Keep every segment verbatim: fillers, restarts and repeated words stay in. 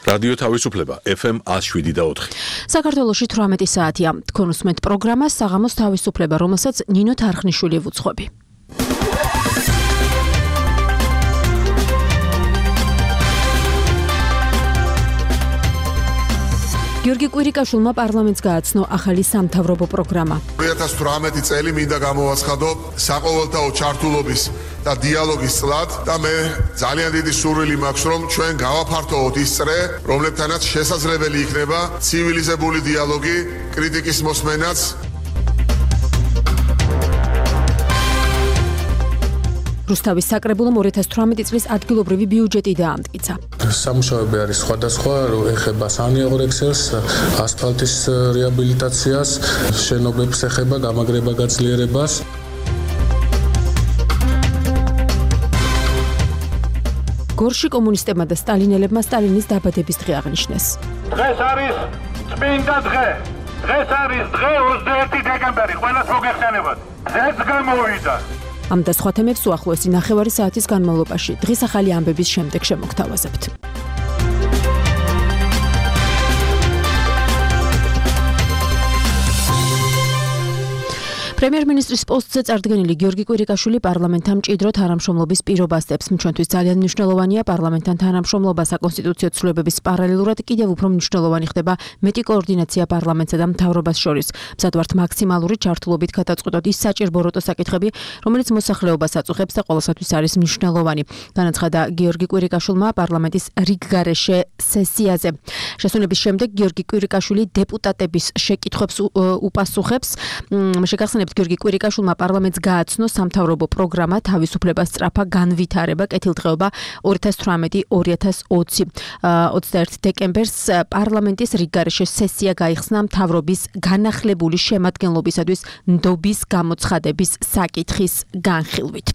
რადიო თავისუფლება F M one oh seven და four. საქართველოში თვრამეტი საათია. თქვენ უსმენთ პროგრამას საღამოს თავისუფლება, რომელსაც ნინო თარხნიშვილი ვუძღვები. გიორგი კვირიკაშვილმა პარლამენტს გააცნო ახალი სამთავრობო პროგრამა. two thousand eighteen წელი მინდა გამოვაცხადო საყოველთაო ჩართულობის და დიალოგის წლად და მე ძალიან დიდი სურვილი მაქვს რომ ჩვენ გავაფართოვოთ ის წრე, რომლებთანაც შესაძლებელი იქნება ცივილიზებული დიალოგი, კრიტიკის მოსმენაც. რუსთავის საკრებულომ two thousand eighteen წლის ადგილობრივი ბიუჯეტი დაამტკიცა. სამუშაოები არის სხვადასხვა, ეხება სანიაღრექსელს, ასფალტის რეაბილიტაციას, შენობებს ეხება გამაგრება გაძლიერებას. გორში კომუნისტებმა და სტალინელებმა სტალინის დაბადების დღე აღნიშნეს. დღეს არის წმინდა დღე. დღეს არის დღე twenty-first დეკემბერი, ყველას მოგეხსენებათ. დღეს გამოვიდა. ამ და სხვა თემებს უახლოესი ნახევარი საათის განმავლობაში დღის ახალი ამბების შემდეგ შემოგთავაზებთ. პრემიერ-მინისტრის პოსტზე წარდგენილი გიორგი კვირიკაშვილი პარლამენტთან მჭიდრო თანამშრომლობის პირობას დებს. ჩვენთვის ძალიან მნიშვნელოვანია პარლამენტთან თანამშრომლობა საკონსტიტუციო ცვლილებების პარალელურად კიდევ უფრო მნიშვნელოვანი ხდება მეტი კოორდინაცია პარლამენტსა და მთავრობას შორის. მზად ვართ მაქსიმალური ჩართულობით გადაწყვეტოთ ის საჭირბოროტო საკითხები, რომელიც მოსახლეობას აწუხებს და ყველასათვის არის მნიშვნელოვანი. განაცხადა გიორგი კვირიკაშვილმა პარლამენტის რიგგარეშე სესიაზე. შესვენების შემდეგ გიორგი კვირიკაშვილი დეპუტატების შეკითხვებს უპასუხებს. შეგახსენებთ გიორგი კვირიკაშვილმა პარლამენტს გააცნო სამთავრობო პროგრამა თავისუფლებას სწრაფა განვითარება კეთილდღეობა two thousand eighteen two thousand twenty twenty-one დეკემბერს პარლამენტის რიგგარეშე სესია გაიხსნა მთავრობის განახლებული შემადგენლობისათვის ნდობის გამოცხადების საკითხის განხილვით.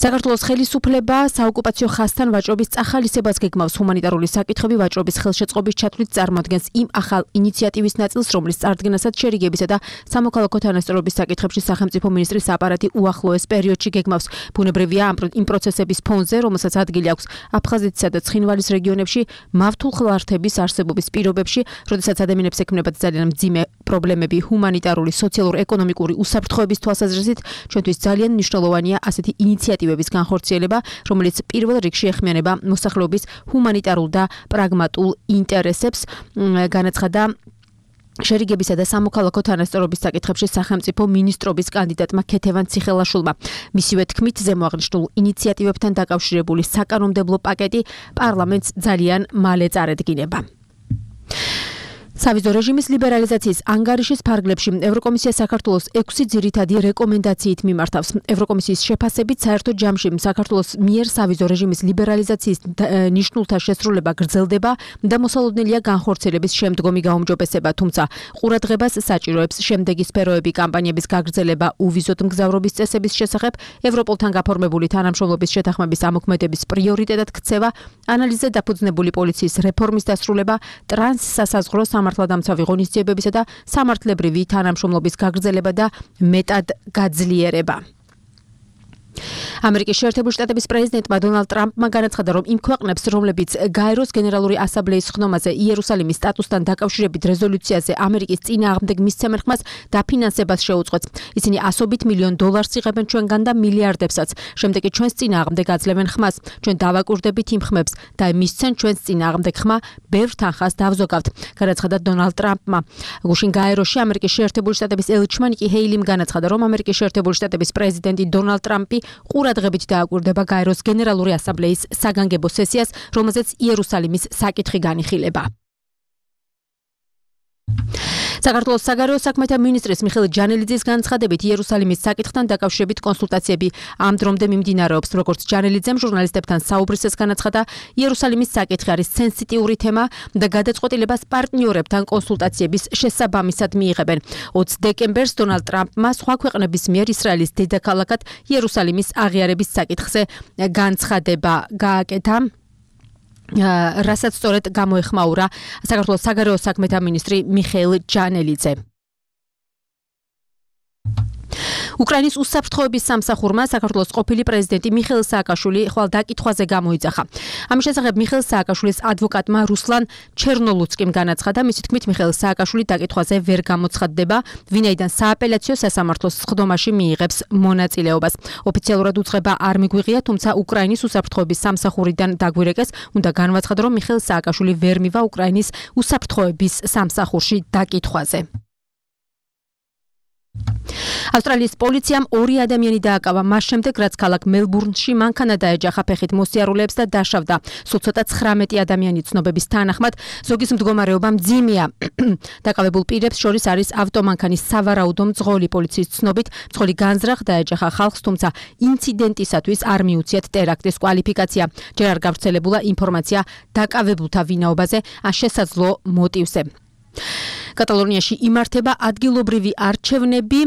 საქართველოს ხელისუფლება საოკუპაციო ხაზთან ვაჭრობის წახალისებას გეგმავს. ჰუმანიტარული საკითხები ვაჭრობის ხელშეწყობის ჩათვლით წარმოადგენს იმ ახალ ინიციატივის ნაწილს, რომლის წარდგენასაც შერიგებისა და სამოქალაქო თანასწორობის საკითხებში სახელმწიფო მინისტრის აპარატი უახლოეს პერიოდში გეგმავს. ბუნებრივია იმ პროცესების ფონზე, რომელსაც ადგილი აქვს აფხაზეთისა და ცხინვალის რეგიონებში მავთულხლართების არსებობის პირობებში, როდესაც ადამიანებს ექმნებათ ძალიან მძიმე პრობლემები ჰუმანიტარული, სოციალურ-ეკონომიკური უსაფრთხოების თვალსაზრისით, ჩვენთვის ძალიან მნიშვნელოვანია ასეთი ინიციატივების განხორციელება, რომელიც პირველ რიგში ეხმიანება მოსახლეობის ჰუმანიტარულ და პრაგმატულ ინტერესებს. განაცხადა შერიგებისა და სამოქალაქო თანასწორობის საკითხებში სახელმწიფო მინისტრობის კანდიდატმა ქეთევან ციხელაშვილმა. მისივე თქმით, ზემო აღნიშნულ ინიციატივებთან დაკავშირებული საკანონმდებლო პაკეტი პარლამენტს ძალიან მალე წარედგინება. სავიზო რეჟიმის ლიბერალიზაციის ანგარიშის ფარგლებში ევროკომისია საქართველოს ექვსი ძირითადი რეკომენდაციით მიმართავს. ევროკომისიის შეფასებით საერთო ჯამში საქართველოს მიერ სავიზო რეჟიმის ლიბერალიზაციის ნიშნულთა შესრულება გრძელდება და მოსალოდნელია განხორციელების შემდგომი გაუმჯობესება, თუმცა ყურადღებას საჭიროებს შემდეგი სფეროები კამპანიების გაგრძელება უვიზოდ მგზავრობის წესების შესახებ, ევროპოლთან გაფორმებული თანამშრომლობის შეთანხმების ამოქმედების პრიორიტეტად ქცევა, ანალიზზე დაფუძნებული პოლიციის რეფორმის დასრულება, ტრანსსასაზღვრო სამართლადამცავი ღონისძიებებისა და სამართლებრივი თანამშრომლობის გაგრძელება და მეტად გაძლიერება. ამერიკის შეერთებული შტატების პრეზიდენტმა დონალდ ტრამპმა განაცხადა, რომ იმ ქვეყნებს, რომლებიც გაეროს გენერალური ასამბლეის ხდომაზე იერუსალიმის სტატუსთან დაკავშირებით რეზოლუციაზე ამერიკის წინააღმდეგ მისცემენ ხმას დაფინანსებას შეუწყვეტს. ისინი ასობით მილიონ დოლარს იღებენ ჩვენგან და მილიარდებსაც. შემდეგ კი ჩვენს წინააღმდეგ აძლევენ ხმას. ჩვენ დავაკურდებით იმ ხმებს და მისცენ ჩვენს წინააღმდეგ ხმა ბევრ თანხას დავზოგავთ. განაცხადა დონალდ ტრამპმა. გუშინ გაეროში ამერიკის შეერთებული შტატების ელჩმა ნიკი ჰეილიმ განაცხადა, რომ ამერიკის შეერთებული შტატების პრეზიდენტი დონალდ ტრამპი ყურადღებით დააკვირდება გაეროს გენერალური ასამბლეის საგანგებო სესიას, რომელზეც იერუსალიმის საკითხი განიხილება. საქართველოს საგარეო საქმეთა მინისტრის მიხეილ ჯანელიძის განცხადებით იერუსალიმის საკითხთან დაკავშირებით კონსულტაციები ამ დრომდე მიმდინარეობს. როგორც ჯანელიძემ ჟურნალისტებთან საუბრისას განაცხადა, იერუსალიმის საკითხი არის სენსიტიური თემა და გადაწყვეტილებას პარტნიორებთან კონსულტაციების შესაბამისად მიიღებენ. ოცი დეკემბერს დონალდ ტრამპმა სხვა ქვეყნების მიერ ისრაელის დედაქალაქად იერუსალიმის აღიარების საკითხზე განცხადება გააკეთა. რასაც სწორედ გამოეხმაურა საქართველოს საგარეო საქმეთა მინისტრი მიხეილ ჯანელიძე. უკრაინის უსაფრთხოების სამსახურმა საქართველოს ყოფილი პრეზიდენტი მიხეილ სააკაშვილი ხვალ დაკითხვაზე გამოიძახა. ამის შესახებ მიხეილ სააკაშვილის ადვოკატმა რუსლან ჩერნოლუცკიმ განაცხადა, მისი თქმით მიხეილ სააკაშვილი დაკითხვაზე ვერ გამოცხადდება, ვინაიდან სააპელაციო სასამართლოს სხდომაში მიიღებს მონაწილეობას. ოფიციალურად უწყება არ მიგვიღია, თუმცა უკრაინის უსაფრთხოების სამსახურიდან დაგვირეკეს, უნდა განვაცხადო, რომ მიხეილ სააკაშვილი ვერ მივა უკრაინის უსაფრთხოების სამსახურში დაკითხვაზე. ავსტრალიის პოლიციამ ორი ადამიანი დააკავა მას შემდეგ, რაც ქალაქ მელბურნში მანქანა დაეჯახა ფეხით მოსიარულეებს და დაშავდა. სულ ცოტა ცხრამეტი ადამიანი ცნობების თანახმად, ზოგის მდგომარეობა მძიმეა. დაკავებულ პირებს შორის არის ავტომანქანის სავარაუდო მძღოლი. პოლიციის ცნობით, მძღოლი განზრახ დაეჯახა ხალხს, თუმცა ინციდენტისათვის არ მიუციათ ტერაქტის კვალიფიკაცია. ჯერ არ გავრცელებულა ინფორმაცია დაკავებულთა ვინაობაზე ან შესაძლო მოტივზე. კატალონიაში იმართება ადგილობრივი არჩევნები,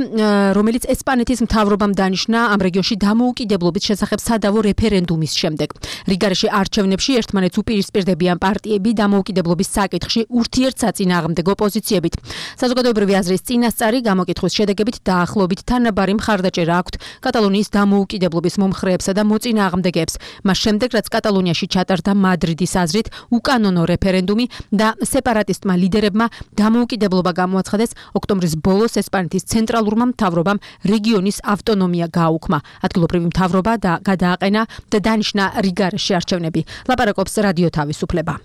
რომელიც ესპანეთის მთავრობამ დანიშნა ამ რეგიონში დამოუკიდებლობის შესახებ სადავო რეფერენდუმის შემდეგ. რიგარეში არჩევნებში ერთმანეთს უპირისპირდებიან პარტიები დამოუკიდებლობის საკითხში ურთიერთსაწინააღმდეგო პოზიციებით. საზოგადოებრივი აზრის წინასწარი გამოკითხვის შედეგებით დაახლოებით თანაბარი მხარდაჭერა აქვთ კატალონიის დამოუკიდებლობის მომხრეებსა და მოწინააღმდეგეებს. მას შემდეგ, რაც კატალონიაში ჩატარდა მადრიდის აზრით უკანონო რეფერენდუმი და სეპარატისტმა ლიდერებმა დამოუკიდებლობა გამოაცხადეს, ოქტომბრის ბოლოს ესპანეთის ცენტრალურმა მთავრობამ რეგიონის ავტონომია გააუქმა. ადგილობრივი მთავრობა და გადააყენა და დანიშნა რიგარეში არჩევნები. ლაპარაკობს რადიო თავისუფლება.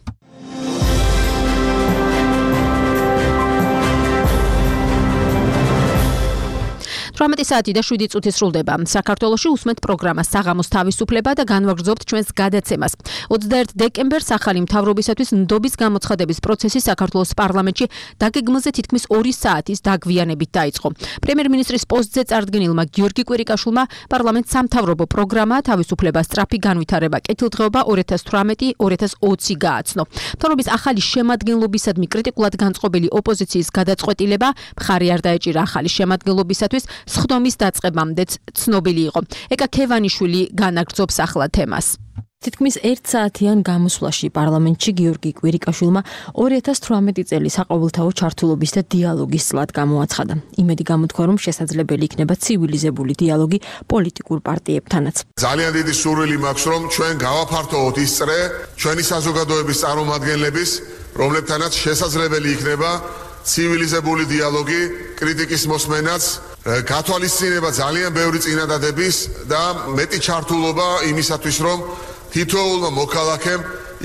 თვრამეტი საათი და შვიდი წუთი სრულდება. საქართველოში უსმენთ პროგრამა საღამოს თავისუფლება და განვაგრძობთ ჩვენს გადაცემას. ოცდაერთი დეკემბერს ახალი მთავრობისათვის ნდობის გამოცხადების პროცესი საქართველოს პარლამენტში დაგეგმილზე თითქმის ორი საათის დაგვიანებით დაიწყო. პრემიერ-მინისტრის პოსტზე წარდგენილმა გიორგი კვირიკაშვილმა პარლამენტს სამთავრობო პროგრამა თავისუფლება სწრაფი განვითარება კეთილდღეობა ორი ათას თვრამეტი ორი ათას ოცი გააცნო. მთავრობის ახალი შემადგენლობისადმი კრიტიკულად განწყობილი ოპოზიციის გადაწყვეტილება მხარი არ დაეჭირა ახალი შემადგენლობისათვის სხდომის დაწყებამდეც ცნობილი იყო. ეკა ქევანიშვილი განაგრძობს ახლა თემას. თითქმის ერთ საათიან გამოსვლაში პარლამენტში გიორგი კვირიკაშვილმა ორი ათას თვრამეტი წელი საყოველთაო ჩართულობის და დიალოგის წლად გამოაცხადა. იმედი გამოთქვა, რომ შესაძლებელი იქნება ცივილიზებული დიალოგი პოლიტიკურ პარტიებთანაც. ძალიან დიდი სურვილი მაქვს, რომ ჩვენ გავაფართოვოთ ის წრე ჩვენი საზოგადოების წარმომადგენლების, რომლებთანაც შესაძლებელი იქნება ცივილიზებული დიალოგი, კრიტიკის მოსმენაც, გათვალისწინება ძალიან ბევრი წინადადების და მეტი ჩართულობა იმისათვის, რომ თითოეულმა მოქალაქემ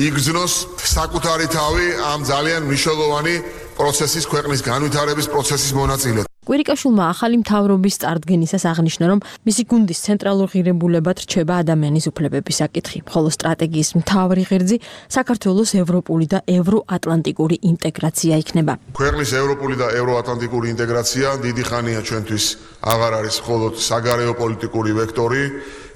იგრძნოს საკუთარი თავი ამ ძალიან მნიშვნელოვანი პროცესის, ქვეყნის განვითარების პროცესის მონაწილედ. კვირიკაშვილმა ახალი მთავრობის წარდგენისას აღნიშნა, რომ მისი გუნდის ცენტრალურ ღირებულებად რჩება ადამიანის უფლებების საკითხი, ხოლო სტრატეგიის მთავარი ღერძი საქართველოს ევროპული და ევროატლანტიკური ინტეგრაცია იქნება. ქვეყნის ევროპული და ევროატლანტიკური ინტეგრაცია დიდი ხანია ჩვენთვის აღარ არის მხოლოდ საგარეო პოლიტიკური ვექტორი,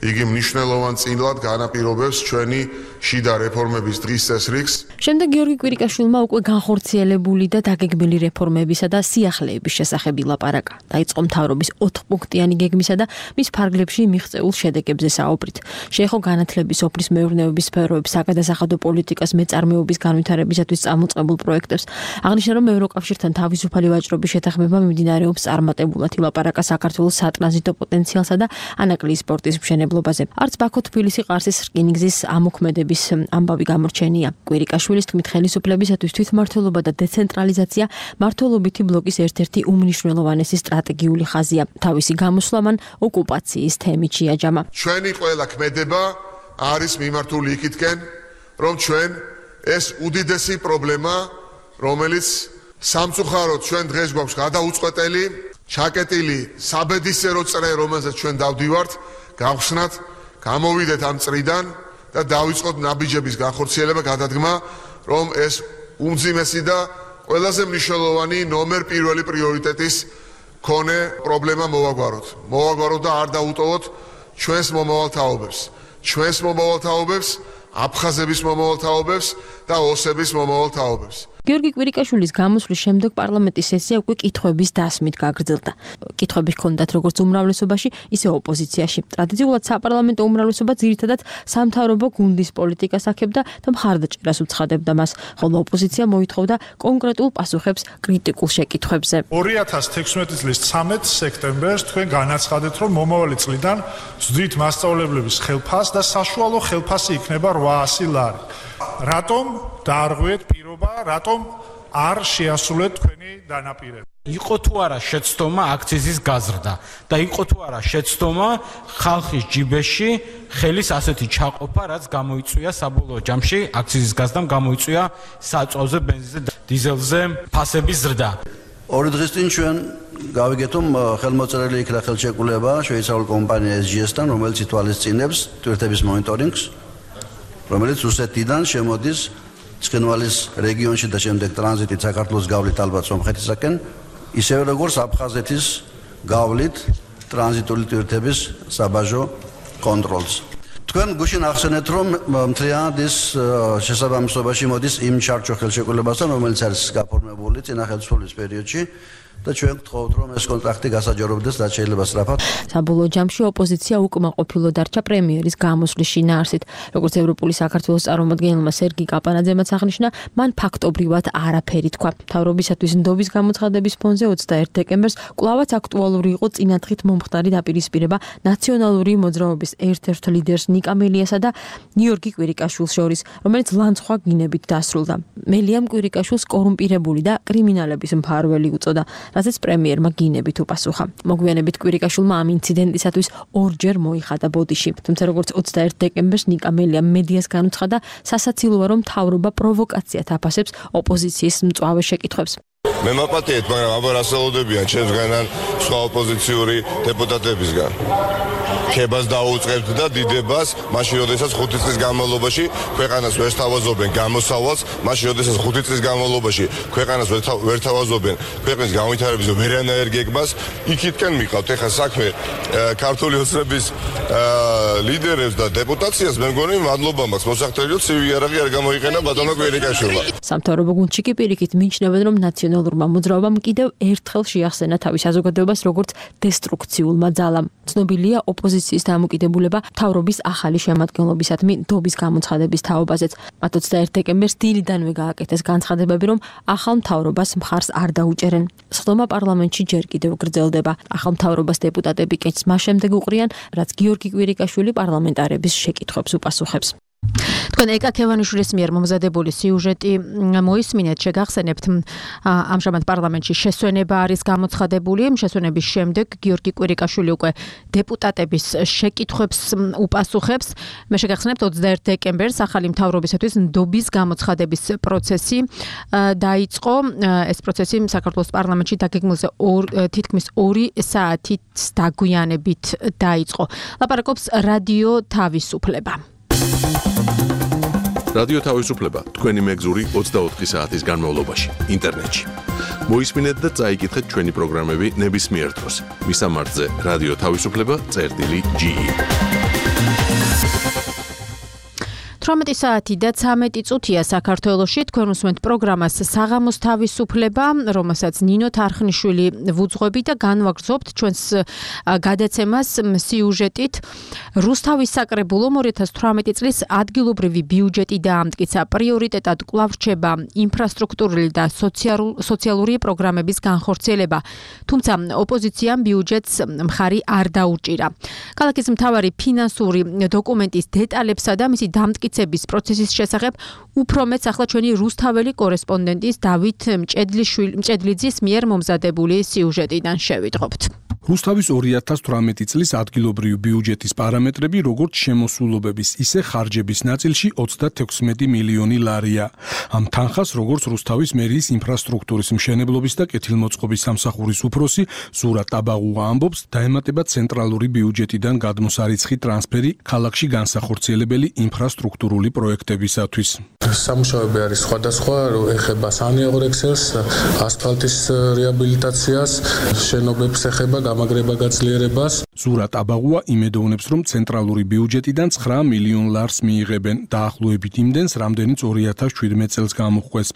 იგი მნიშვნელოვან წილად განაპირობებს ჩვენი შიდა რეფორმების დღის წესრიგს. შემდეგ გიორგი კვირიკაშვილმა უკვე განხორციელებული და დაგეგმილი რეფორმებისა და სიახლეების შესახებ ლაპარაკა. დაიწყო მთავრობის ოთხპუნქტიანი გეგმისა და მის ფარგლებში მიღწეულ შედეგებზე საუბრით. შეეხო განათლების, სოფლის მეურნეობის სფეროების, საგადასახადო პოლიტიკას, მეწარმეობის განვითარებისათვის წამოწყებულ პროექტებს. აღნიშნა, რომ ევროკავშირთან თავისუფალი ვაჭრობის შეთანხმება მიმდინარეობს წარმატებულად. ლაპარაკა საქართველოს სატრანზიტო პოტენციალსა და ანაკლიის პორტის მშენებლობაზე. არც ბაქო-თბილისი ყარსის რკინიგზის ამოქმედების ამბავი გამორჩენია. კვირიკაშვილის თქმით, ხელისუფლებისათვის თვითმმართველობა და დეცენტრალიზაცია მართლობითი ბლოკის ერთ-ერთი უმნიშვნელოვანესი სტრატეგიული ხაზია. თავისი გამოსვლა მან ოკუპაციის თემით შეაჯამა. ჩვენი ყველა ქმედება არის მიმართული იქითკენ, რომ ჩვენ ეს უდიდესი პრობლემა, რომელიც სამწუხაროდ ჩვენ დღეს გვაქვს გადაუწყვეტელი, ჩაკეტილი საბედისწერო წრე, რომელზეც ჩვენ დავდივართ, გავხსნათ, გამოვიდეთ ამ წრიდან და დავიწყოთ ნაბიჯების განხორციელება, გადადგმა, რომ ეს უმძიმესი და ყველაზე მნიშვნელოვანი ნომერ პირველი პრიორიტეტის მქონე პრობლემა მოვაგვაროთ. მოვაგვაროთ და არ დაუტოვოთ ჩვენს მომავალთაობებს. ჩვენს მომავალთაობებს, აფხაზების მომავალთაობებს და ოსების მომავალთაობებს. გიორგი კვირიკაშვილის გამოსვლის შემდეგ პარლამენტის სესია უკვე კითხვების დასმით გაგრძელდა. კითხვები ჰქონდათ როგორც უმრავლესობაში, ისე ოპოზიციაში. ტრადიციულად საპარლამენტო უმრავლესობა ძირითადად სამთავრობო გუნდის პოლიტიკას აქებდა და მხარდაჭერას უცხადებდა მას, ხოლო ოპოზიცია მოითხოვდა კონკრეტულ პასუხებს კრიტიკულ შეკითხვებზე. ორი ათას თექვსმეტი წლის ცამეტ სექტემბერს თქვენ განაცხადეთ, რომ მომავალი წლიდან ვზდით მასწავლებლების ხელფას და საშუალო ხელფასი იქნება რვაასი ლარი. რატომ დაარღვიეთ პირობა, რატომ არ შეასრულეთ თქვენი დანაპირება? იყო თუ არა შეცდომა აქციზის გაზრდა და იყო თუ არა შეცდომა ხალხის ჯიბეში ხელის ასეთი ჩაყოფა, რაც გამოიწვია საბოლოო ჯამში აქციზის გაზრდამ გამოიწვია საწვავზე, ბენზინზე და დიზელზე ფასების ზრდა. ორი დღის წინ ჩვენ გავიგეთ, რომ ხელმოწერილი იქნა ხელშეკრულება შვეიცარიულ კომპანია ეს ჯი ეს-თან, რომელიც ითვალისწინებს ტვირთების მონიტორინგს, რომელიც რუსეთიდან შემოდის ცხინვალის რეგიონში და შემდეგ ტრანზიტით საქართველოს გავლით ალბათ სომხეთისაკენ, ისევე როგორც აფხაზეთის გავლით ტრანზიტული ტვირთების საბაჟო კონტროლს. თქვენ გუშინ ახსენეთ, რომ მთლიანად ის შესაბამისობაში მოდის იმ ჩარჩო ხელშეკრულებასთან, რომელიც არის გაფორმებული წინა ხელისუფლების პერიოდში და ჩვენ გთხოვთ, რომ ეს კონტრაქტი გასაჯაროვდეს და შეიძლება სწრაფად. საბოლოო ჯამში ოპოზიცია უკმაყოფილო დარჩა პრემიერის გამოსვლის შინაარსით. როგორც ევროპული საქართველოს წარმომადგენელმა სერგი კაპანაძემაც აღნიშნა, მან ფაქტობრივად არაფერი თქვა. მთავრობისათვის ნდობის გამოცხადების ფონზე ოცდაერთი დეკემბერს კვლავაც აქტუალური იყო წინათხრით მომხდარი დაპირისპირება ნაციონალური მოძრაობის ერთ-ერთ ლიდერს ნიკა მელიასა და გიორგი კვირიკაშვილს შორის, რომელიც ლანცხვა გინებით დასრულდა. მელიამ კვირიკაშვილს კორუმპირებული და კრიმინალების მფარველი უწოდა, რასაც პრემიერმა გინებით უპასუხა. მოგვიანებით კვირიკაშვილმა ამ ინციდენტისათვის ორჯერ მოიხადა ბოდიში. თუმცა როგორც ოცდაერთი დეკემბერს ნიკა მელიამ მედიას განუცხადა, სასაცილოა რომ მთავრობა პროვოკაციად აფასებს ოპოზიციის მწვავე შეკითხვებს. მე მაპატიეთ, მაგრამ აბა რასაუდებიან ჩემსგან ან სხვა ოპოზიციური დეპუტატებისგან. ქებას დაუწყებთ და დიდებას, მაშინ როდესაც ხუთი წლის განმავლობაში ქვეყანას ვერ თავაზობენ გამოსავალს, მაშინ როდესაც ხუთი წლის განმავლობაში ქვეყანას ვერ თავაზობენ ქვეყნის განვითარების ვერანაირ გეგმას, იქითკენ მიყავთ. ეხლა საქმე ქართული ოცნების ლიდერებს და დეპუტაციას მე მგონი მადლობა მაქვს მოსახდელიო ცივი იარაღი არ გამოიყენა ბატონო კვირიკაშვილმა. სამთავრობო გუნდში კი პირიქით მიიჩნევენ, რომ ნაციონალურმა მოძრაობამ კიდევ ერთხელ შეახსენა თავის საზოგადოებას როგორც დესტრუქციულმა ძალამ. ცნობილია ოპოზიციის დამოკიდებულება მთავრობის ახალი შემადგენლობისადმი ნდობის გამოცხადების თაობაზეც. მათ ოცდაერთი დეკემბერს დილიდანვე გააკეთეს განცხადებები, რომ ახალ მთავრობას მხარს არ დაუჭერენ. სხდომა პარლამენტში ჯერ კიდევ გრძელდება. ახალ მთავრობას დეპუტატები კეთს მას შემდეგ უყრიან, რაც გიორგი კვირიკაშვილი პარლამენტარების შეკითხვებს უპასუხებს. თქვენ ეკა ქევანიშვილის მიერ მომზადებული სიუჟეტი მოისმინეთ, შეგახსენებთ, ამჟამად პარლამენტში შესვენება არის გამოცხადებული. შესვენების შემდეგ გიორგი კვირიკაშვილი უკვე დეპუტატების შეკითხვებს უპასუხებს. მე შეგახსენებთ, ოცდაერთი დეკემბერს ახალი მთავრობისათვის ნდობის გამოცხადების პროცესი დაიწყო. ეს პროცესი საქართველოს პარლამენტში დაგეგმილზე თითქმის ორი საათით დაგვიანებით დაიწყო. ლაპარაკობს რადიო თავისუფლება. რადიო თავისუფლება თქვენი მეგზური ოცდაოთხი საათის განმავლობაში ინტერნეტში. მოისმინეთ და წაიკითხეთ ჩვენი პროგრამები ნებისმიერ დროს. მისამართზე რადიო თავისუფლება წერტილი ჯი ი. თვრამეტი საათი და ცამეტი წუთია საქართველოში. თქვენ უსმენთ პროგრამას საღამოს თავისუფლება, რომელსაც ნინო თარხნიშვილი ვუძღვები და განვაგრძობთ ჩვენს გადაცემას სიუჟეტით. რუსთავის საკრებულომ ორი ათას თვრამეტი წლის ადგილობრივი ბიუჯეტი დაამტკიცა. პრიორიტეტად კვლავ რჩება ინფრასტრუქტურული და სოციალური პროგრამების განხორციელება. თუმცა ოპოზიციამ ბიუჯეტს მხარი არ დაუჭირა. ქალაქის მთავარი ფინანსური დოკუმენტის დეტალებსა და მისი დამტკიცების პროცესის შესახებ უფრო მეც ახლა ჩვენი რუსთაველი კორესპონდენტის დავით მჭედლიძის მიერ მომზადებული სიუჟეტიდან შევიტყობთ. რუსთავის ორი ათას თვრამეტი წლის ადგილობრივი ბიუჯეტის პარამეტრები როგორც შემოსულობების, ისე ხარჯების ნაწილში ოცდათექვსმეტი მილიონი ლარია. ამ თანხას როგორც რუსთავის მერიის ინფრასტრუქტურის მშენებლობის და კეთილმოწყობის სამსახურის უფროსი ზურა ტაბაღუა ამბობს, დაემატება ცენტრალური ბიუჯეტიდან გადმოსარიცხი ტრანსფერი ქალაქში განსახორციელებელი ინფრასტრუქტურული პროექტებისათვის. სამუშაოები არის სხვადასხვა, ეხება სანიაღრექსელს, ასფალტის რეაბილიტაციას, შენობებს ეხება გამაგრება გაძლიერებას. ზურატ აბაღუა იმედოვნებს, რომ ცენტრალური ბიუჯეტიდან ცხრა მილიონ ლარს მიიღებენ, დაახლოებით იმდენს, რამდენიც ორი ათას შვიდმეტ წელს გამოჰყვეს.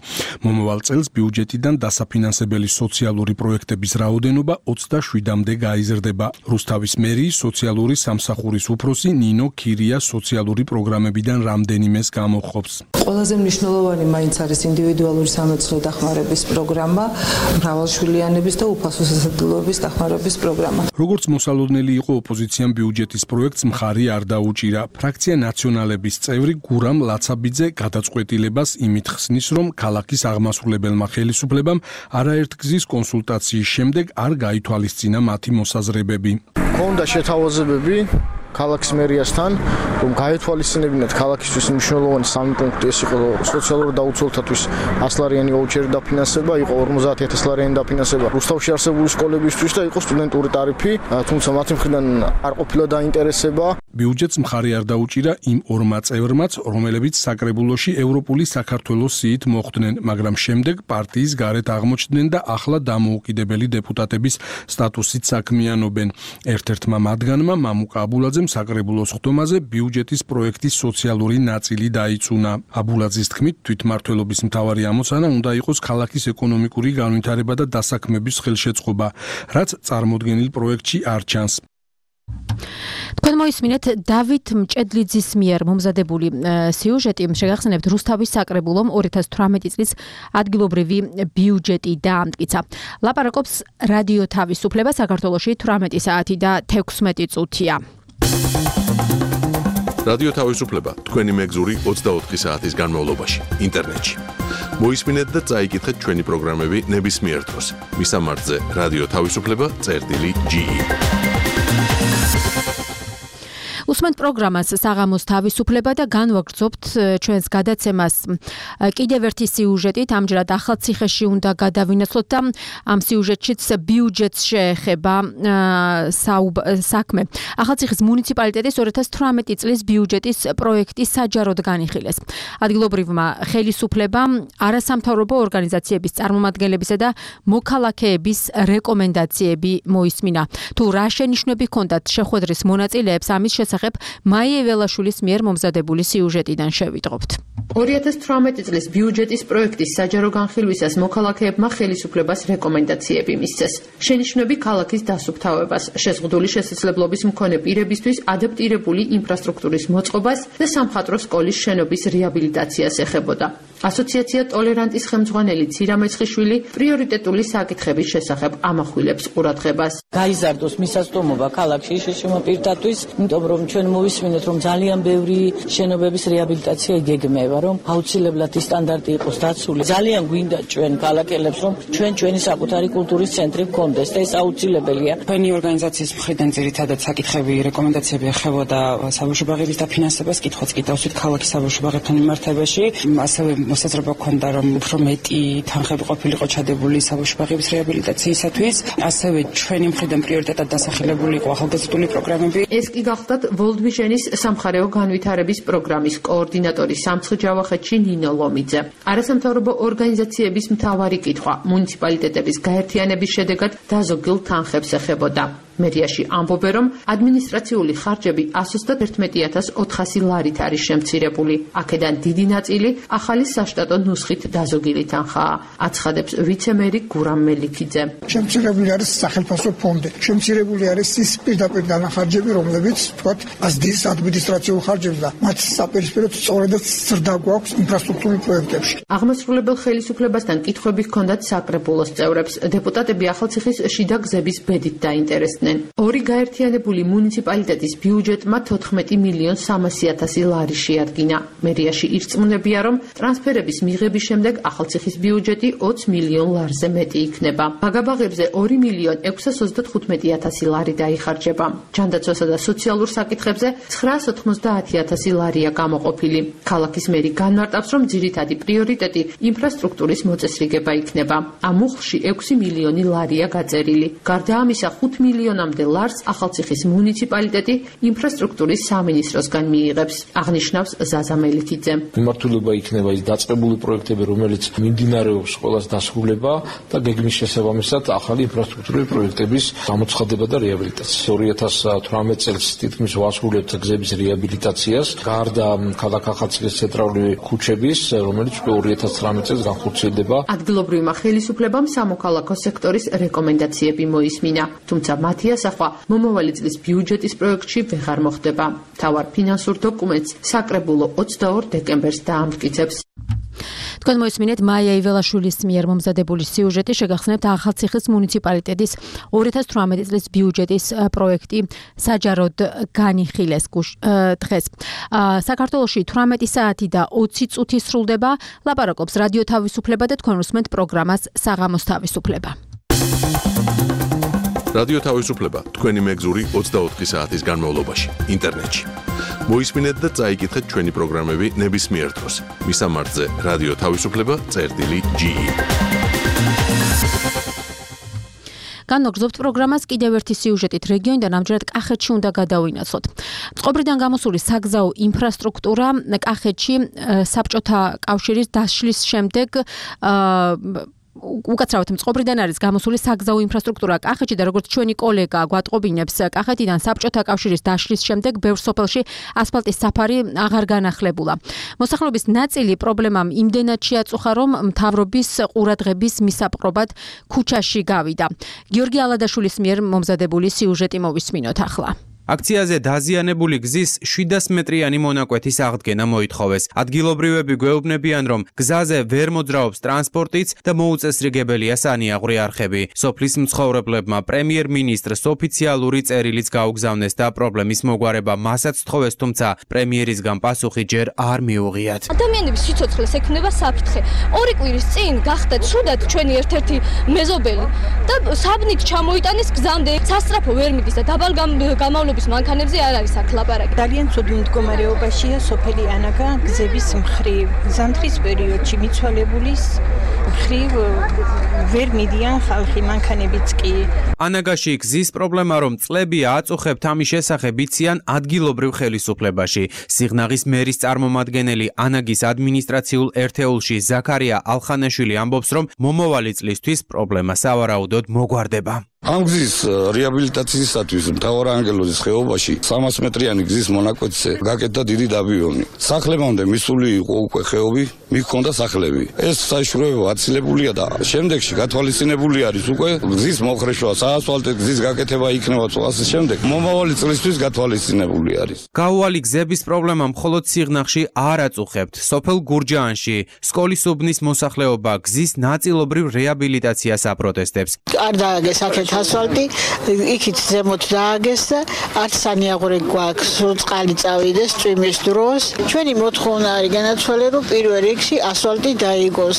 მომავალ წელს ბიუჯეტიდან დასაფინანსებელი სოციალური პროექტების რაოდენობა ოცდაშვიდამდე გაიზრდება. რუსთავის მერიის სოციალური სამსახურის უფროსი ნინო ქირია სოციალური პროგრამებიდან რამდენიმეს გამოჰყოფს. ყველაზე მნიშვნელოვანი მაინც არის ინდივიდუალური სამეცნიერო დახმარების პროგრამა, მრავალშვილიანების და უფასო სასადილოების დახმარების პროგრამა. როგორც მოსალოდნელი იყო ოპოზიციამ ბიუჯეტის პროექტს მხარი არ დაუჭირა. ფრაქცია ნაციონალების წევრი გურამ ლაცაბიძე გადაწყვეტილებას იმით ხსნის, რომ ქალაქის აღმასრულებელმა ხელისუფლებამ არაერთგზის კონსულტაციის შემდეგ არ გაითვალისწინა მათი მოსაზრებები. ქონდა შეთავაზებები ქალაქის მერიასთან, რომ გაეთვალისწინებინათ ქალაქისთვის მნიშვნელოვანი სამი პუნქტი, ეს იყო სოციალურ დაუცველთათვის ასლარიანი ვაუჩერი დაფინანსება, იყო ორმოცდაათი ათასი ლარიანი დაფინანსება რუსთავში არსებული სკოლებისთვის და იყო სტუდენტური ტარიფი, თუმცა მათი მხრიდან არ ყოფილა დაინტერესება. ბიუჯეტს მხარი არ დაუჭირა იმ ორმა წევრმაც, რომლებიც საკრებულოში ევროპული საქართველოს სიით მოხვდნენ, მაგრამ შემდეგ პარტიის გარეთ აღმოჩნდნენ და ახლა დამოუკიდებელი დეპუტატების სტატუსით საქმიანობენ. ერთ-ერთმა მათგანმა მამუკა აბულაძემ საკრებულოს ხდომაზე ბიუჯეტის პროექტის სოციალური ნაწილი დაიწუნა. აბულაძის თქმით, თვითმმართველობის მთავარი ამოცანა უნდა იყოს ქალაქის ეკონომიკური განვითარება და დასაქმების ხელშეწყობა, რაც წარმოდგენილ პროექტში არ ჩანს. თქვენ მოისმინეთ დავით მჭედლიძის მიერ მომზადებული სიუჟეტი, შეგახსენებთ რუსთავის საკრებულომ ორი ათას თვრამეტი წლის ადგილობრივი ბიუჯეტი დაამტკიცა. ლაპარაკობს რადიო თავისუფლება, საქართველოში თვრამეტი საათი და თექვსმეტი წუთია. რადიო თავისუფლება თქვენი მეგზური ოცდაოთხი საათის განმავლობაში ინტერნეტში. მოისმინეთ და წაიკითხეთ ჩვენი პროგრამები ნებისმიერ დროს. მისამართზე რადიო თავისუფლება წერტილი ჯი ი. უსმენთ პროგრამას საღამოს თავისუფლება და განვაგრძობთ ჩვენს გადაცემას კიდევ ერთი სიუჟეტით. ამჯერად ახალციხეში უნდა გადავინაცვლოთ და ამ სიუჟეტშიც ბიუჯეტს შეეხება საქმე. ახალციხის მუნიციპალიტეტის ორი ათას თვრამეტი წლის ბიუჯეტის პროექტი საჯაროდ განიხილეს. ადგილობრივმა ხელისუფლებამ არასამთავრობო ორგანიზაციების წარმომადგენლებისა და მოქალაქეების რეკომენდაციები მოისმინა. თუ რა შენიშვნები ჰქონდათ შეხვედრის მონაწილეებს, ამის შესახებ მაია ველაშვილის მიერ მომზადებული სიუჟეტიდან შევიტყობთ. ორი ათას თვრამეტი წლის ბიუჯეტის პროექტის საჯარო განხილვისას მოქალაქეებმა ხელისუფლებას რეკომენდაციები მისცეს. შენიშვნები ქალაქის დასუფთავებას, შეზღუდული შესაძლებლობის მქონე პირებისთვის ადაპტირებული ინფრასტრუქტურის მოწყობას და სამხატვრო სკოლის შენობის რეაბილიტაციას ეხებოდა. ასოციაცია ტოლერანტის ხელმძღვანელი ცირა მეცხიშვილი პრიორიტეტული საკითხების შესახებ ამახვილებს ყურადღებას. გაიზარდოს მისასტომობა ქალაქში შეშმო პირთათვის, იმიტომ რომ ჩვენ მოვისმინეთ, რომ ძალიან ბევრი შენობების რეაბილიტაცია იგეგმება, რომ აუცილებლად ის სტანდარტი იყოს დაცული. ძალიან გვინდა ჩვენ ქალაქელებს, რომ ჩვენ ჩვენი საკუთარი კულტურის ცენტრი გქონდეს და ეს აუცილებელია. ჩვენი ორგანიზაციის მხრიდან ძირითადად საკითხები, რეკომენდაციები ეხებოდა საბავშვო ბაღების დაფინანსებას, კითხვაც კი დავსვით ქალაქის საბავშვო ბაღებთან მიმართებაში. ასევე მოსაზრება ჰქონდა, რომ უფრო მეტი თანხები ყოფილიყო ჩადებული საბავშვო ბაღების რეაბილიტაციისათვის. ასევე ჩვენი მხრიდან პრიორიტეტად დასახელებული იყო ახალგაზრდული პროგრამები. ეს კი გახლდათ World Vision-ის სამხარეო განვითარების პროგრამის კოორდინატორი სამცხ ჯავახეთში ნინო ლომიძე. არასამთავრობო ორგანიზაციების მთავარი კითხვა მუნიციპალიტეტების გაერთიანების შედეგად დაზოგილ თანხებს ეხებოდა. მერიაში ამბობენ, რომ ადმინისტრაციული ხარჯები ათას ერთმეტი ათას ოთხასი ლარით არის შემცირებული. აქედან დიდი ნაწილი ახალი საშტატო ნუსხით დაზოგილი თანხაა. აცხადებს ვიცე-მერი გურამ მელიქიძე. შემცირებული არის სახელმწიფო ფონდი. შემცირებული არის ის პირდაპირ დანახარჯები, რომლებიც თქვათ ასდის ადმინისტრაციულ ხარჯებს და მათ საპირისპიროდ სწორედაც ზრდა გვაქვს ინფრასტრუქტურულ პროექტებში. აღმასრულებელ ხელისუფლებასთან კითხვები ჰქონდათ საკრებულოს წევრებს. დეპუტატები ახალციხის შიდა გზების ბედით დაინტერესდნენ. ორი გაერთიანებული მუნიციპალიტეტის ბიუჯეტმა თოთხმეტი მილიონ სამასი ათასი ლარი შეადგინა. მერიაში ირწმუნებია, რომ ტრანსფერების მიღების შემდეგ ახალციხის ბიუჯეტი ოცი მილიონ ლარზე მეტი იქნება. ბაგაბაღებზე ორი მილიონ ექვსას ოცდათხუთმეტი ათასი ლარი დაიხარჯება. ჯანდაცვასა და სოციალურ საკითხებზე ცხრაას ოთხმოცდაათი ათასი ლარია გამოყოფილი. ქალაქის მერი განმარტავს, რომ ძირითადი პრიორიტეტი ინფრასტრუქტურის მოწესრიგება იქნება. ამ უხლში ექვსი მილიონი ლარია გაწერილი. გარდა ამისა, ხუთ მილიონი მილიონამდე ლარს ახალციხის მუნიციპალიტეტი ინფრასტრუქტურის სამინისტროსგან მიიღებს, აღნიშნავს ზაზა მელიქიძე. მიმართულება იქნება ის დაწყებული პროექტები, რომელიც მიმდინარეობს ყველას დასრულება და გეგმის შესაბამისად ახალი ინფრასტრუქტურის პროექტების გამოცხადება და რეაბილიტაცია. ორი ათას თვრამეტ წელს თითქმის ვასრულებთ გზების რეაბილიტაციას, გარდა ქალაქ ახალციხის ცენტრალური ქუჩების, რომელიც ორი ათას ცხრამეტ წელს განხორციელდება. ადგილობრივმა ხელისუფლებამ სამოქალაქო სექტორის რეკომენდაციები მოისმინა, თუმცა მათი ასახვა მომავალი წლის ბიუჯეტის პროექტში ვეღარ მოხდება. მთავარ ფინანსურ დოკუმენტს საკრებულო ოცდაორ დეკემბერს დაამტკიცებს. თქვენ მოისმინეთ მაია იველაშვილის მიერ მომზადებული სიუჟეტი, შეგახსენებთ ახალციხის მუნიციპალიტეტის ორი ათას თვრამეტი წლის ბიუჯეტის პროექტი საჯაროდ განიხილეს დღეს. საქართველოში თვრამეტი საათი და ოცი წუთი სრულდება. ლაპარაკობს რადიო თავისუფლება და თქვენ უსმენთ პროგრამას საღამოს თავისუფლება. რადიო თავისუფლება თქვენი მეგზური ოცდაოთხი საათის განმავლობაში ინტერნეტში. მოისმინეთ და წაიკითხეთ ჩვენი პროგრამები ნებისმიერ დროს. მისამართზე რადიო თავისუფლება წერტილი ჯი ი. განვაგრძობთ პროგრამას კიდევ ერთი სიუჟეტით რეგიონიდან, ამჯერად კახეთში უნდა გადავინაცვლოთ. წყობრიდან გამოსული საგზაო ინფრასტრუქტურა კახეთში საბჭოთა კავშირის დაშლის შემდეგ უკაცრავად მწყობრიდან არის გამოსული საგზაო ინფრასტრუქტურა კახეთში და როგორც ჩვენი კოლეგა გვატყობინებს, კახეთიდან საბჭოთა კავშირის დაშლის შემდეგ ბევრ სოფელში ასფალტის საფარი აღარ განახლებულა. მოსახლეობის ნაწილი პრობლემამ იმდენად შეაწუხა, რომ მთავრობის ყურადღების მისაპყრობად ქუჩაში გავიდა. გიორგი ალადაშვილის მიერ მომზადებული სიუჟეტი მოვისმინოთ ახლა. აქციაზე დაზიანებული გზის შვიდას მეტრიანი მონაკვეთის აღდგენა მოითხოვეს. ადგილობრივები გვეუბნებიან, რომ გზაზე ვერ მოძრაობს ტრანსპორტიც და მოუწესრიგებელია სანიაღვრე არხები. სოფლის მცხოვრებლებმა პრემიერ-მინისტრს ოფიციალური წერილიც გაუგზავნეს და პრობლემის მოგვარება მასაც თხოვეს, თუმცა პრემიერისგან პასუხი ჯერ არ მიუღიათ. ადამიანების სიცოცხლეს ექმნება საფრთხე. ორი კვირის წინ გახდა ცუდად ჩვენი ერთ-ერთი მეზობელი და საბნით ჩამოიტანეს გზამდე. სასწრაფო ვერ მიდის და დაბალ გამავლობის მანქანებზე არ არის აქ ლაპარაკი. ძალიან ცუდი მდგომარეობაშია სოფელი ანაგა გზების მხრივ. ზამთრის პერიოდში მიცვალებულის მხრივ ვერ მიდიან ხალხი, მანქანებიც კი. ანაგაში გზის პრობლემა რომ წლებია აწუხებთ, ამის შესახებ იციან ადგილობრივ ხელისუფლებაში. სიღნაღის მერის წარმომადგენელი ანაგის ადმინისტრაციულ ერთეულში ზაქარია ალხანაშვილი ამბობს, რომ მომავალი წლისთვის პრობლემა სავარაუდოდ მოგვარდება. ამ გზის რეაბილიტაციისათვის მთავარანგელოზის ხეობაში სამას მეტრიანი გზის მონაკვეთზე გაკეთდა დიდი დაბიონი. სახლებამდე მისული იყო უკვე ხეობი, მიქონდა სახლები. ეს საშუალება აცილებულია და შემდეგში გათვალისწინებული არის უკვე გზის მოხრეშვა, საასფალტო გზის გაკეთება იქნება წლასის შემდეგ. მომავალი წლისთვის გათვალისწინებული არის. გაუვალი გზების პრობლემა მხოლოდ სიღნაღში არ აწუხებთ. სოფელ გურჯაანში სკოლის უბნის მოსახლეობა გზის ნაწილობრივ რეაბილიტაციას აპროტესტებს. არ დააგეს აქეთ ასფალტი, იქით ზემოთ დააგეს და არც სანიაღვრე გვაქვს, წყალი წავიდეს წვიმის დროს. ჩვენი მოთხოვნა არის განაცვალე, რომ პირველ რიგში ასფალტი დაიგოს.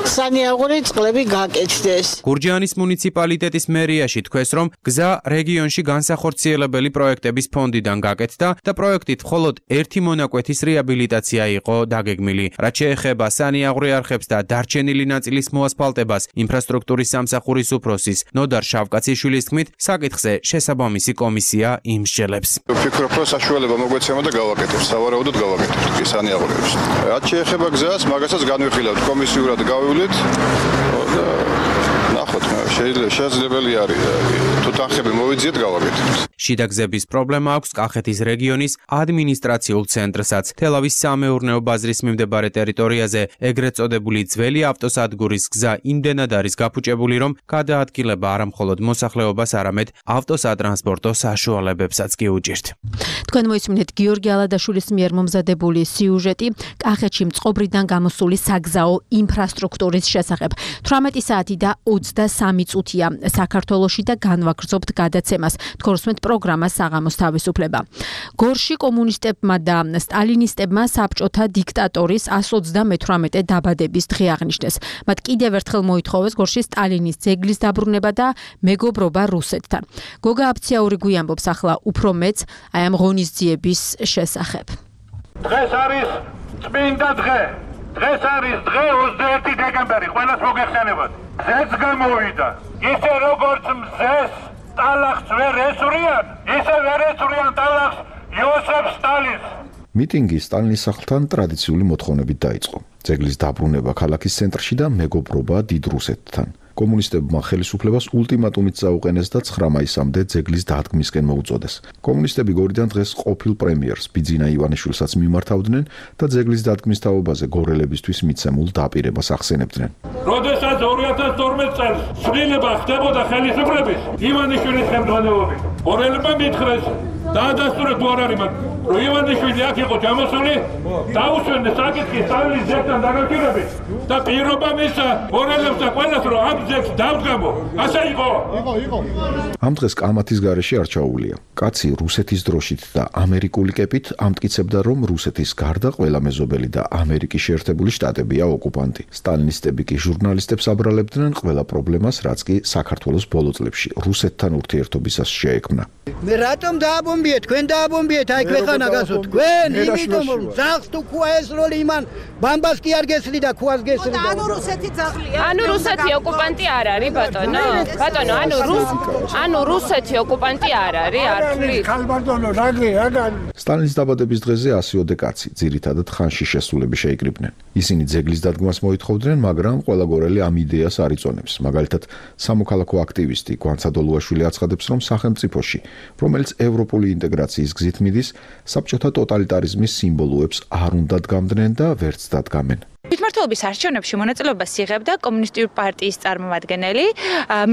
სანიაღვრე წყლები გაკეთდეს. გურჯაანის მუნიციპალიტეტის მერიაში თქვეს, რომ გზა რეგიონში განსახორციელებელი პროექტების ფონდიდან გაკეთდა და პროექტით მხოლოდ ერთი მონაკვეთის რეაბილიტაცია იყო დაგეგმილი. რაც შეეხება სანიაღვრე არხებს და დარჩენილი ნაწილის მოასფალტებას, ინფრასტრუქტურის სამსახურის უფროსის ნოდარ კაციშვილის თქმით, საკითხზე შესაბამისი კომისია იმსჯელებს. ვფიქრობ, რომ საშუალება მოგვეცემა და გავაკეთებთ, სავარაუდოდ გავაკეთებთ კი სანიაღვრეებს. რაც შეეხება გზას, მაგასაც განვიხილავთ, კომისიურად გავივლით და ნახოთ, შესაძლებელი არის თუ თანხები მოვიძიეთ, გავაკეთებთ. შიდა გზების პრობლემა აქვს კახეთის რეგიონის ადმინისტრაციულ ცენტრსაც. თელავის სამეურნეო ბაზრის მიმდებარე ტერიტორიაზე ეგრეთ წოდებული ძველი ავტოსადგურის გზა იმდენად არის გაფუჭებული, რომ გადაადგილება არა მხოლოდ მოსახლეობას, არამედ ავტოსატრანსპორტო საშუალებებსაც კი უჭირთ. თქვენ მოისმინეთ გიორგი ალადაშვილის მიერ მომზადებული სიუჟეტი კახეთში მწყობრიდან გამოსული საგზაო ინფრასტრუქტურის შესახებ. თვრამეტი საათი და ოცდასამი წუთია საქართველოში და განვაგრძობთ გადაცემას. თქვენ უსმენთ პროგრამას საღამოს თავისუფლება. გორში კომუნისტებმა და სტალინისტებმა საბჭოთა დიქტატორის ასი ოცდამეთვრამეტე დაბადების დღე აღნიშნეს. მათ კიდევ ერთხელ მოითხოვეს გორში სტალინის ძეგლის დაბრუნება და მეგობრობა რუსეთთან. გოგა აფციაური გვიამბობს ახლა უფრო მეც აი ამ ღონისძიების შესახებ. დღეს არის წმინდა დღე. დღეს არის დღე ოცდაერთი დეკემბერი, ყველას მოგეხსენებათ. ზეც გამოვიდა. ისე როგორც მზეს ტალახს ვერ ესურიან, ისე ვერ ესურიან ტალახს იოსებ სტალინს. მიტინგი სტალინის სახლთან ტრადიციული მოთხოვნებით დაიწყო. ძეგლის დაბრუნება ქალაქის ცენტრში და მეგობრობა დიდ რუსეთთან. კომუნისტებმა ხელისუფლებას ულტიმატუმით წაუყენეს და ცხრა მაისამდე ძეგლის დადგმისკენ მოუწოდეს. კომუნისტები გორიდან დღეს ყოფილ პრემიერს ბიძინა ივანიშვილსაც მიმართავდნენ და ძეგლის დადგმის თაობაზე გორელებისთვის მიცემულ დაპირებას ახსენებდნენ. როდესაც ორი ათას თორმეტ წელს ცვლილება ხდებოდა ხელისუფლების ივანიშვილის ხელმძღვანელობით, გორელებმა მითხრეს დაადასტურეთ თუ არ არის მათ, რომ ივანიშვილი აქ იყო ჩამოსული, დაუსვენეს საკითხი სტალინის ძეგლთან დაკავშირებით და პირობა მისცა გორელებს და ყველას, რომ ამ ძეგლს დავდგამო. ასე იყო? იყო, იყო. ამ დღეს კამათის გარეშე არ ჩაუვლია. კაცი რუსეთის დროშით და ამერიკული კეპით ამტკიცებდა, რომ რუსეთის გარდა ყველა მეზობელი და ამერიკის შეერთებული შტატებია ოკუპანტი. სტალინისტები კი ჟურნალისტებს აბრალებდნენ ყველა პრობლემას, რაც კი საქართველოს ბოლო წლებში რუსეთთან ურთიერთობისას შეექმნა. მე რატომ დააბომბიეთ? თქვენ დააბომბიეთ აი ქვეყანა გასო თქვენ, იმიტომ რომ ძაღლს თუ ქუა ესროლი იმან ბამბას კი არ გესლი და ქუას გესლი. ანუ რუსეთი ძაღლია. ანუ რუსეთი ოკუპანტი არ არის ბატონო. ბატონო, ანუ რუს ანუ რუსეთი ოკუპანტი არ არის, არ თვლით. ხალბატონო, რაგე, რაგან. სტალინის დაბადების დღეზე ასიოდე კაცი, ძირითადად ხანში შესულები შეიკრიბნენ. ისინი ძეგლის დადგმას მოითხოვდნენ, მაგრამ ყველა გორელი ამ იდეას არ იწონებს. მაგალითად, სამოქალაქო აქტივისტი გვანცად ოლუაშვილი აცხადებს, რომ სახელმწიფოში, რომელიც ევროპული ინტეგრაციის გზით მიდის, საბჭოთა ტოტალიტარიზმის სიმბოლოებს არ უნდა დგამდნენ და ვერც დადგამენ. თვითმმართველობის არჩევნებში მონაწილეობას იღებდა კომუნისტური პარტიის წარმომადგენელი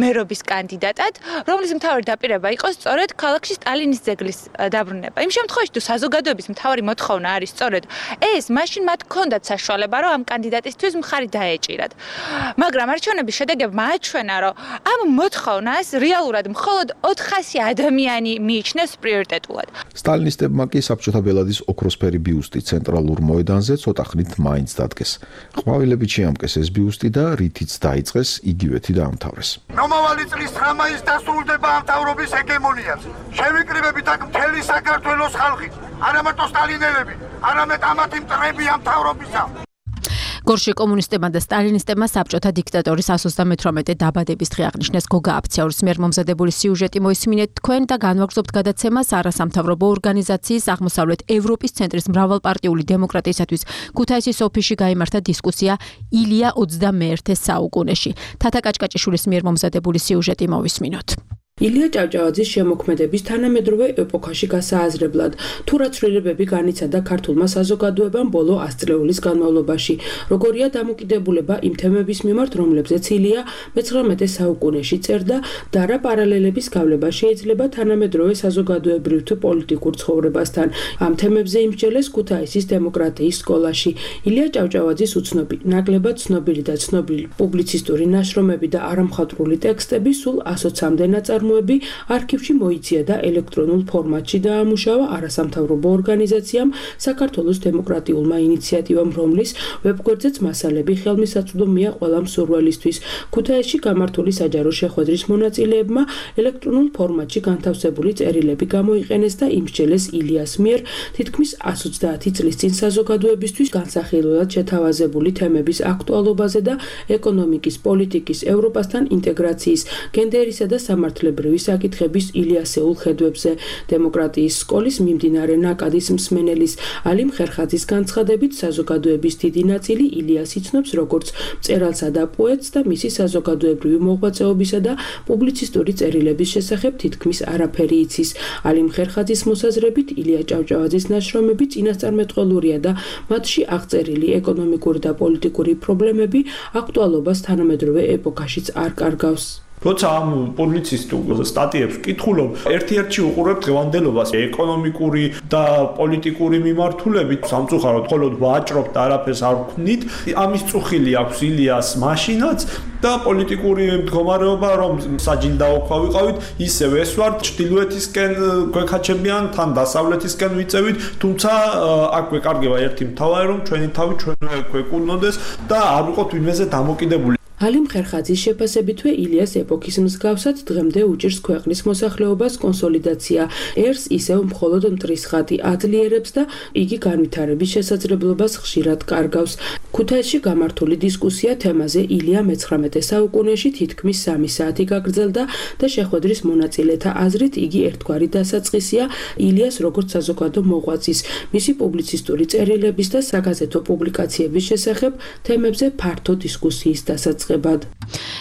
მერობის კანდიდატად, რომლის მთავარი დაპირება იყო სწორედ ქალაქში სტალინის ძეგლის დაბრუნება. იმ შემთხვევაში თუ საზოგადოების მთავარი მოთხოვნა არის სწორედ ეს, მაშინ მათ ჰქონდათ საშუალება, რომ ამ კანდიდატისთვის მხარი დაეჭირათ. მაგრამ არჩევნების შედეგებმა აჩვენა, რომ ამ მოთხოვნას რეალურად მხოლოდ ოთხასი ადამიანი მიიჩნევს პრიორიტეტულად. სტალინისტებმა კი საბჭოთა ბელადის ოქროსფერი ბიუსტი ცენტრალურ მოედანზე ცოტა ხნით მაინც დადგეს. ყვავილებით შეამკეს ეს ბიუსტი და რითიც დაიწყეს, იგივეთი დაამთავრეს. მომავალი წლის ცხრა მაისს დასრულდება ამ მთავრობის ჰეგემონიაც. შევიკრიბებით აქ მთელი საქართველოს ხალხი, არა მარტო სტალინელები, არამედ ამათი მტრები ამ მთავრობისა. გორში კომუნისტებმა და სტალინისტებმა საბჭოთა დიქტატორის εκατს ოცდამეთვრამეტე დაბადების დღე აღნიშნეს. გოგა აფციაურის მიერ მომზადებული სიუჟეტი მოისმინეთ თქვენ და განვაგრძობთ გადაცემას არასამთავრობო ორგანიზაციის აღმოსავლეთ ევროპის ცენტრის მრავალპარტიული დემოკრატიისათვის ქუთაისის ოფისში გაიმართა დისკუსია ილია ოცდამეერთე საუკუნეში. თათა კაჭკაჭიშვილის მიერ მომზადებული სიუჟეტი მოვისმინოთ. ილია ჭავჭავაძის შემოქმედების თანამედროვე ეპოქაში გასააზრებლად თუ რა ცვლილებები განიცადა ქართულმა საზოგადოებამ ბოლო ას წლეულის განმავლობაში, როგორია დამოკიდებულება იმ თემების მიმართ, რომლებზეც ილია მეცხრამეტე საუკუნეში წერდა და რა პარალელების გავლება შეიძლება თანამედროვე საზოგადოებრივ თუ პოლიტიკურ ცხოვრებასთან. ამ თემებზე იმსჯელეს ქუთაისის დემოკრატიის სკოლაში. ილია ჭავჭავაძის უცნობი, ნაკლებად ცნობილი და ცნობილი პუბლიცისტური ნაშრომები და არამხატვრული ტექსტები სულ ასოცამდე ნაწარმოებები არქივში მოიცია და ელექტრონულ ფორმატში დაამუშავა არასამთავრობო ორგანიზაციამ საქართველოს დემოკრატიულმა ინიციატივამ, რომლის ვებგვერდზეც მასალები ხელმისაწვდომია ყველა მსურველისთვის. ქუთაისში გამართული საჯარო შეხვედრის მონაწილეებმა ელექტრონულ ფორმატში განთავსებული წერილები გამოიყენეს და იმსჯელეს ილიას მიერ თითქმის ას ოცდაათი წლის წინ საზოგადოებისთვის განსახილველად შეთავაზებული თემების აქტუალობაზე და ეკონომიკის, პოლიტიკის, ევროპასთან ინტეგრაციის, გენდერისა და სამართლებრივი საკითხების ილიასეულ ხედვებზე. დემოკრატიის სკოლის მიმდინარე ნაკადის მსმენელის ალიმ ხერხაძის განცხადებით, საზოგადოების დიდი ნაწილი ილიას იცნობს როგორც მწერალსა და პოეტს და მისი საზოგადოებრივი მოღვაწეობისა და პუბლიცისტური წერილების შესახებ თითქმის არაფერი იცის. ალიმ ხერხაძის მოსაზრებით, ილია ჭავჭავაძის ნაშრომები წინასწარმეტყველურია და მათში აღწერილი ეკონომიკური და პოლიტიკური პრობლემები აქტუალობას თანამედროვე ეპოქაშიც არ კარგავს. როცა ამ პუბლიცისტურ სტატიებს ვკითხულობ, ერთ-ერთში უყურებ დღევანდელობას, ეკონომიკური და პოლიტიკური მიმართულებით, სამწუხაროდ მხოლოდ ვაჭრობთ და არაფერს არ ვქნით. ამის წუხილი აქვს ილიას მაშინაც და პოლიტიკური მდგომარეობა, რომ საჯილდაო ქვა ვიყავით, ისევ ეს ვარ ჩრდილოეთისკენ გვეკაჩებიან, თან დასავლეთისკენ ვიწევით, თუმცა აქ გვეკარგება ერთი მთავარი, რომ ჩვენი თავი ჩვენვე გვეკუნონდეს და არ ვიყოთ ვინმეზე დამოკიდებული. ალიმ ხერხაძის შეფასებითვე ილიას ეპოქის მსგავსად დღემდე უჭირს ქვეყნის მოსახლეობას კონსოლიდაცია. ერს ისევ მხოლოდ მტრის ხატი აძლიერებს და იგი განვითარების შესაძლებლობას ხშირად კარგავს. ქუთაისში გამართული დისკუსია თემაზე ილია მეცხრამეტე საუკუნეში თითქმის სამი საათი გაგრძელდა და შეხვედრის მონაწილეთა აზრით იგი ერთგვარი დასაწყისია ილიას როგორც საზოგადო მოღვაწის, მისი პუბლიცისტური წერილების და საგაზეთო პუბლიკაციების შესახებ თემებზე ფართო დისკუსიის დასაწყებად.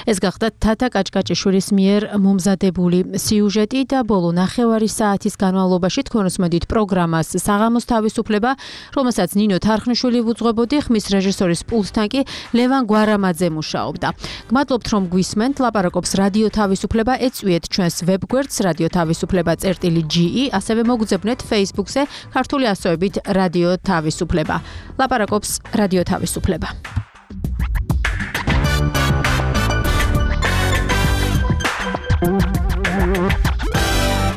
ეს გახდა თათა კაჭკაჭიშვილის მიერ მომზადებული სიუჟეტი და ბოლო ნახევარი საათის განმავლობაში თქვენ უსმენთ პროგრამას საღამოს თავისუფლება, რომელსაც ნინო თარხნიშვილი ვუძღვებოდი, ხმის რეჟისორის პულტთან კი ლევან გვარამაძე მუშაობდა. გმადლობთ რომ გვისმენთ, ლაპარაკობს რადიო თავისუფლება, ეწვიეთ ჩვენს ვებგვერდს რადიო თავისუფლება წერტილი ჯი ი, ასევე მოგძებნეთ Facebook-ზე ქართული ასოებით რადიო თავისუფლება. ლაპარაკობს რადიო თავისუფლება.